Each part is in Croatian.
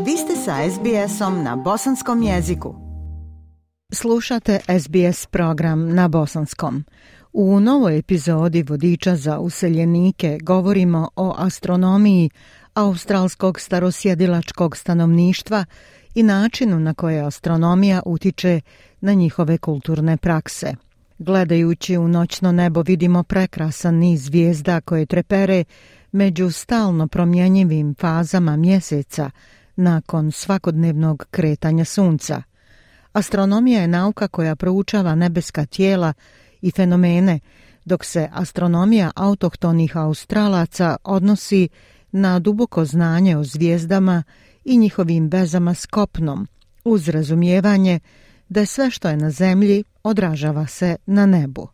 Vi ste sa SBS-om na bosanskom jeziku. Slušate SBS program na bosanskom. U novoj epizodi Vodiča za useljenike govorimo o astronomiji australskog starosjedilačkog stanovništva i načinu na koje astronomija utiče na njihove kulturne prakse. Gledajući u noćno nebo vidimo prekrasan niz zvijezda koje trepere među stalno promjenjivim fazama mjeseca nakon svakodnevnog kretanja sunca. Astronomija je nauka koja proučava nebeska tijela i fenomene, dok se astronomija autohtonih Australaca odnosi na duboko znanje o zvijezdama i njihovim vezama s kopnom, uz razumijevanje da sve što je na zemlji odražava se na nebu.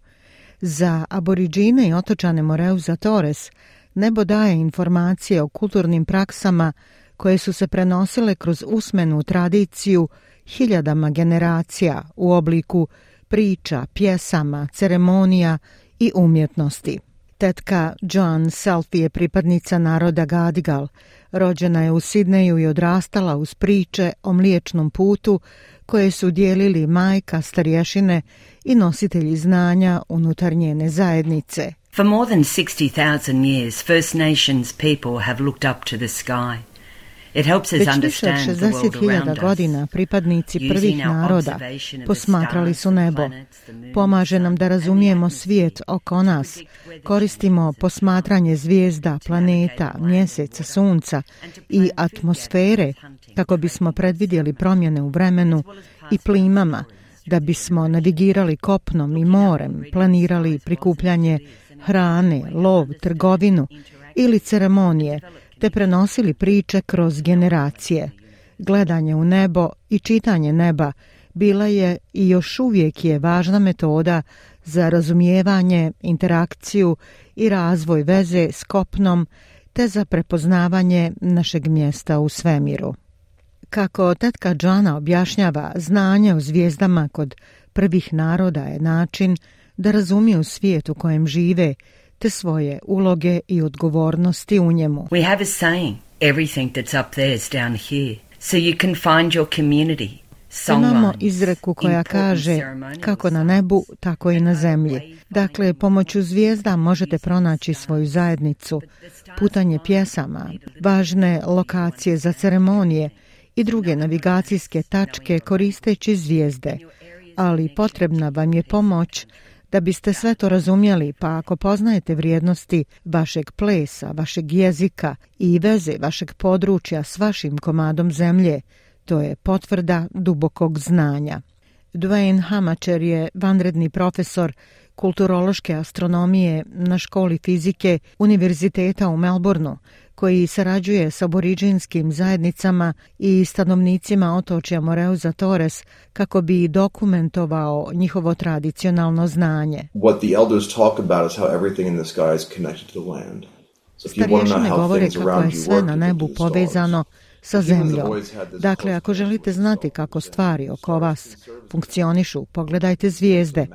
Za aboriđine i otočane Moreuza Torres nebo daje informacije o kulturnim praksama koje su se prenosile kroz usmenu tradiciju hiljadama generacija u obliku priča, pjesama, ceremonija i umjetnosti. Tetka Joan Selfie je pripadnica naroda Gadigal. Rođena je u Sidneju i odrastala uz priče o Mliječnom putu koje su dijelili majka, starješine i nositelji znanja unutar njene zajednice. For more than 60,000 years, First Nations people have looked up to the sky. It helps us understand the world around us. Godina pripadnici prvih naroda posmatrali su nebo. Pomaže nam da razumijemo svijet oko nas. Koristimo posmatranje zvijezda, planeta, mjeseca, sunca i atmosfere kako bismo predvidjeli promjene u vremenu i plimama, da bismo navigirali kopnom i morem, planirali prikupljanje hrane, lov, trgovinu ili ceremonije, te prenosili priče kroz generacije. Gledanje u nebo i čitanje neba bila je i još uvijek je važna metoda za razumijevanje, interakciju i razvoj veze s kopnom, te za prepoznavanje našeg mjesta u svemiru. Kako tetka Joana objašnjava, znanje o zvijezdama kod prvih naroda je način da razumiju svijet u kojem žive, te svoje uloge i odgovornosti u njemu. We have a saying, everything that's up there is down here, so you can find your community. Imamo izreku koja kaže kako na nebu, tako i na zemlji. Dakle, pomoću zvijezda možete pronaći svoju zajednicu, putanje pjesama, važne lokacije za ceremonije i druge navigacijske tačke koristeći zvijezde. Ali potrebna vam je pomoć da biste sve to razumjeli, pa ako poznajete vrijednosti vašeg plesa, vašeg jezika i veze vašeg područja s vašim komadom zemlje, to je potvrda dubokog znanja. Dwayne Hamacher je vanredni profesor kulturološke astronomije na školi fizike Univerziteta u Melbourneu, koji sarađuje s aboriđinskim zajednicama i stanovnicima otočja Moreuza Torres kako bi dokumentovao njihovo tradicionalno znanje. What the elders talk about is how everything in the sky is connected to the land. Starješine govore kako je sve na nebu povezano sa zemljom. Dakle, ako želite znati kako stvari oko vas funkcionišu, pogledajte zvijezde.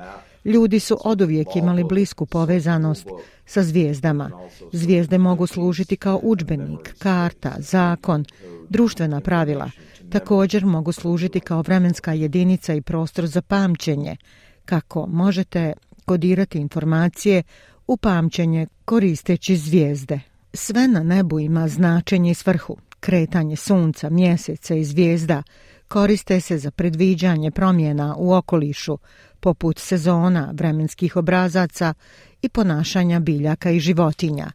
Ljudi su oduvijek imali blisku povezanost sa zvijezdama. Zvijezde mogu služiti kao udžbenik, karta, zakon, društvena pravila. Također mogu služiti kao vremenska jedinica i prostor za pamćenje, kako možete kodirati informacije u pamćenje koristeći zvijezde. Sve na nebu ima značenje i svrhu. Kretanje sunca, mjeseca i zvijezda koriste se za predviđanje promjena u okolišu, poput sezona, vremenskih obrazaca i ponašanja biljaka i životinja.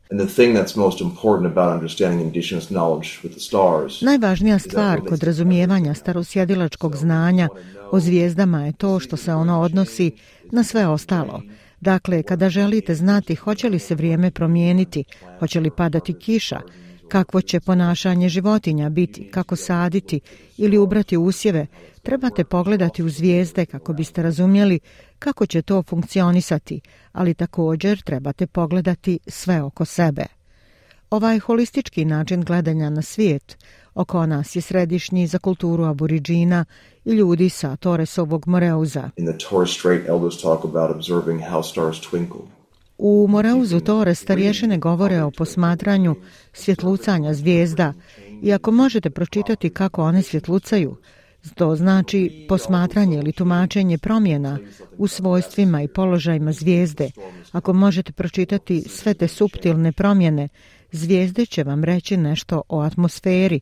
Najvažnija stvar kod razumijevanja starosjedilačkog znanja o zvijezdama je to što se ono odnosi na sve ostalo. Dakle, kada želite znati hoće li se vrijeme promijeniti, hoće li padati kiša, kakvo će ponašanje životinja biti, kako saditi ili ubrati usjeve, trebate pogledati u zvijezde kako biste razumjeli kako će to funkcionisati, ali također trebate pogledati sve oko sebe. Ovaj holistički način gledanja na svijet oko nas je središnji za kulturu aboriđina i ljudi sa Torresovog Moreuza. U Moreuzu Torres starješine govore o posmatranju svjetlucanja zvijezda I ako možete pročitati kako one svjetlucaju, to znači posmatranje ili tumačenje promjena u svojstvima i položajima zvijezde. Ako možete pročitati sve te suptilne promjene, zvijezde će vam reći nešto o atmosferi.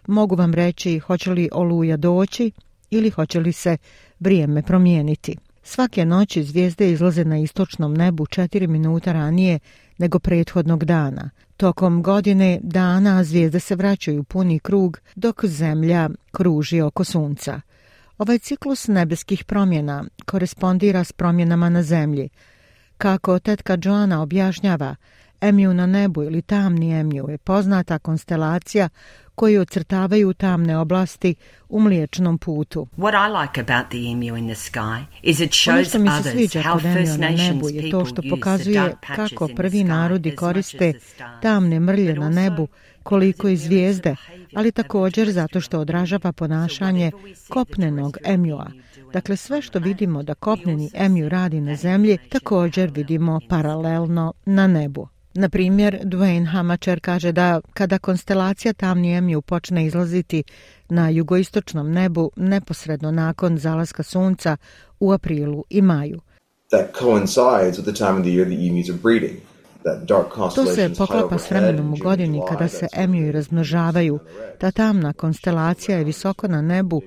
Mogu vam reći hoće li oluja doći ili hoće li se vrijeme promijeniti. Svake noći zvijezde izlaze na istočnom nebu 4 minuta ranije nego prethodnog dana. Tokom godine dana zvijezde se vraćaju puni krug dok Zemlja kruži oko Sunca. Ovaj ciklus nebeskih promjena korespondira s promjenama na Zemlji. Kako tetka Joana objašnjava, Emiju na nebu ili tamni Emiju je poznata konstelacija koji ocrtavaju tamne oblasti u Mliječnom putu. What I like about the emu in the sky is it shows others how First Nations je to što people use the pokazuje dark patches kako in the prvi sky narodi as much koriste as the stars. tamne mrlje na nebu koliko i zvijezde, ali također zato što odražava ponašanje kopnenog emjua. Dakle, sve što vidimo da kopneni emju radi na zemlji, također vidimo paralelno na nebu. Na primjer, Duane Hamacher kaže da kada konstelacija tamni emju počne izlaziti na jugoistočnom nebu neposredno nakon zalaska sunca u aprilu i maju. That coincides with the time of the year the emus are breeding. To se poklapa s vremenom u godini kada se emiju razmnožavaju. Ta tamna konstelacija je visoko na nebu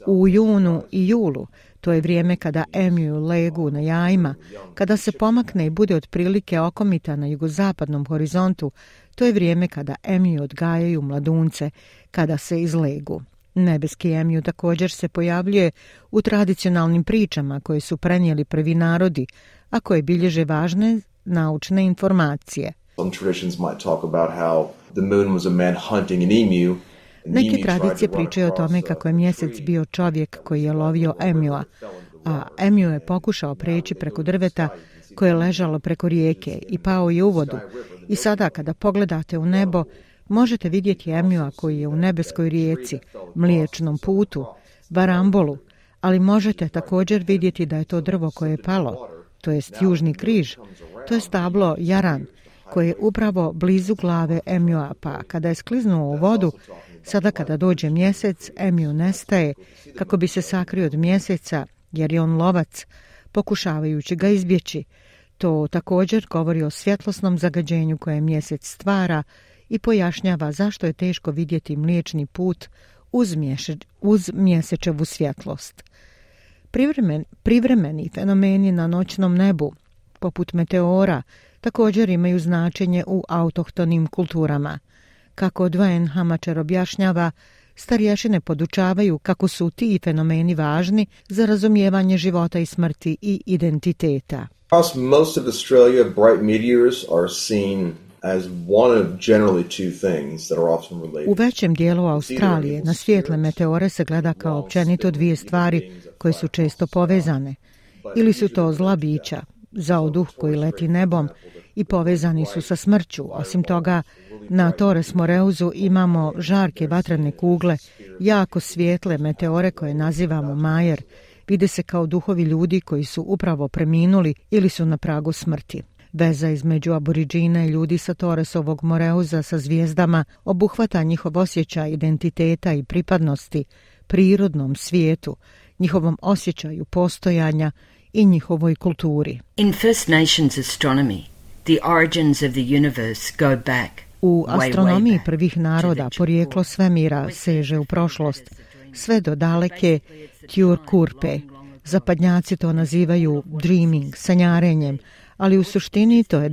u junu i julu. To je vrijeme kada emiju legu na jajima. Kada se pomakne i bude otprilike okomita na jugozapadnom horizontu, to je vrijeme kada emiju odgajaju mladunce, kada se izlegu. Nebeski emiju također se pojavljuje u tradicionalnim pričama koje su prenijeli prvi narodi, a koje bilježe važne naučne informacije. Neke tradicije pričaju o tome kako je mjesec bio čovjek koji je lovio emjua, a emju je pokušao preći preko drveta koje je ležalo preko rijeke i pao je u vodu. I sada kada pogledate u nebo, možete vidjeti emjua koji je u nebeskoj rijeci, Mliječnom putu, Varambolu, ali možete također vidjeti da je to drvo koje je palo, to jest južni križ, to je stablo jaran, koje je upravo blizu glave emjua, pa kada je skliznuo u vodu, sada kada dođe mjesec, emju nestaje kako bi se sakrio od mjeseca, jer je on lovac, pokušavajući ga izbjeći. To također govori o svjetlosnom zagađenju koje mjesec stvara i pojašnjava zašto je teško vidjeti Mliječni put uz mjesečevu svjetlost. Privremeni fenomeni na noćnom nebu, poput meteora, također imaju značenje u autohtonim kulturama. Kako Duane Hamacher objašnjava, starješine podučavaju kako su ti fenomeni važni za razumijevanje života i smrti i identiteta. Across most of Australia, bright meteors are seen as one of generally two things that are often related. U većem dijelu Australije na svijetle meteore se gleda kao općenito dvije stvari koje su često povezane. Ili su to zla bića, zaoduh koji leti nebom i povezani su sa smrću. Osim toga, na Torres Moreuzu imamo žarke vatrene kugle, jako svijetle meteore koje nazivamo Majer. Vide se kao duhovi ljudi koji su upravo preminuli ili su na pragu smrti. Veza između aboriđina i ljudi sa Torresovog Moreuza sa zvijezdama obuhvata njihov osjećaj identiteta i pripadnosti prirodnom svijetu, njihovom osjećaju postojanja i njihovoj kulturi. In First Nations astronomy, the origins of the universe go back. U astronomiji prvih naroda porijeklo svemira seže u prošlost, sve do daleke Tjurkurpe. Zapadnjaci to nazivaju dreaming, sanjarenjem, ali u suštini to je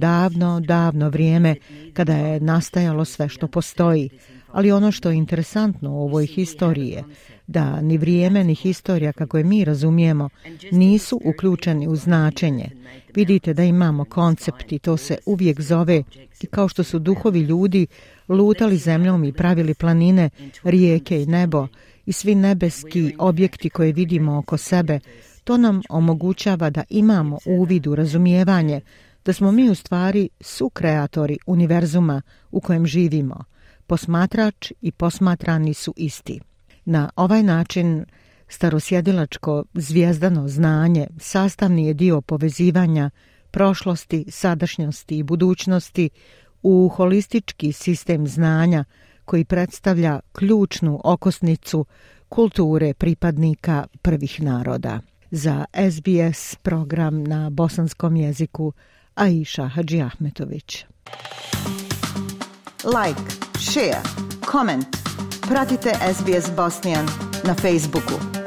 davno vrijeme kada je nastajalo sve što postoji. Ali ono što je interesantno u ovoj historiji je da ni vrijeme ni historija kako je mi razumijemo nisu uključeni u značenje. Vidite da imamo koncept i to se uvijek zove i kao što su duhovi ljudi lutali zemljom i pravili planine, rijeke i nebo i svi nebeski objekti koje vidimo oko sebe, to nam omogućava da imamo uvid u razumijevanje, da smo mi u stvari sukreatori univerzuma u kojem živimo. Posmatrač i posmatrani su isti. Na ovaj način starosjedilačko zvijezdano znanje sastavni je dio povezivanja prošlosti, sadašnjosti i budućnosti u holistički sistem znanja koji predstavlja ključnu okosnicu kulture pripadnika prvih naroda. Za SBS program na bosanskom jeziku Aisha Hadžiahmetović. Like, share, comment. Pratite SBS Bosnian na Facebooku.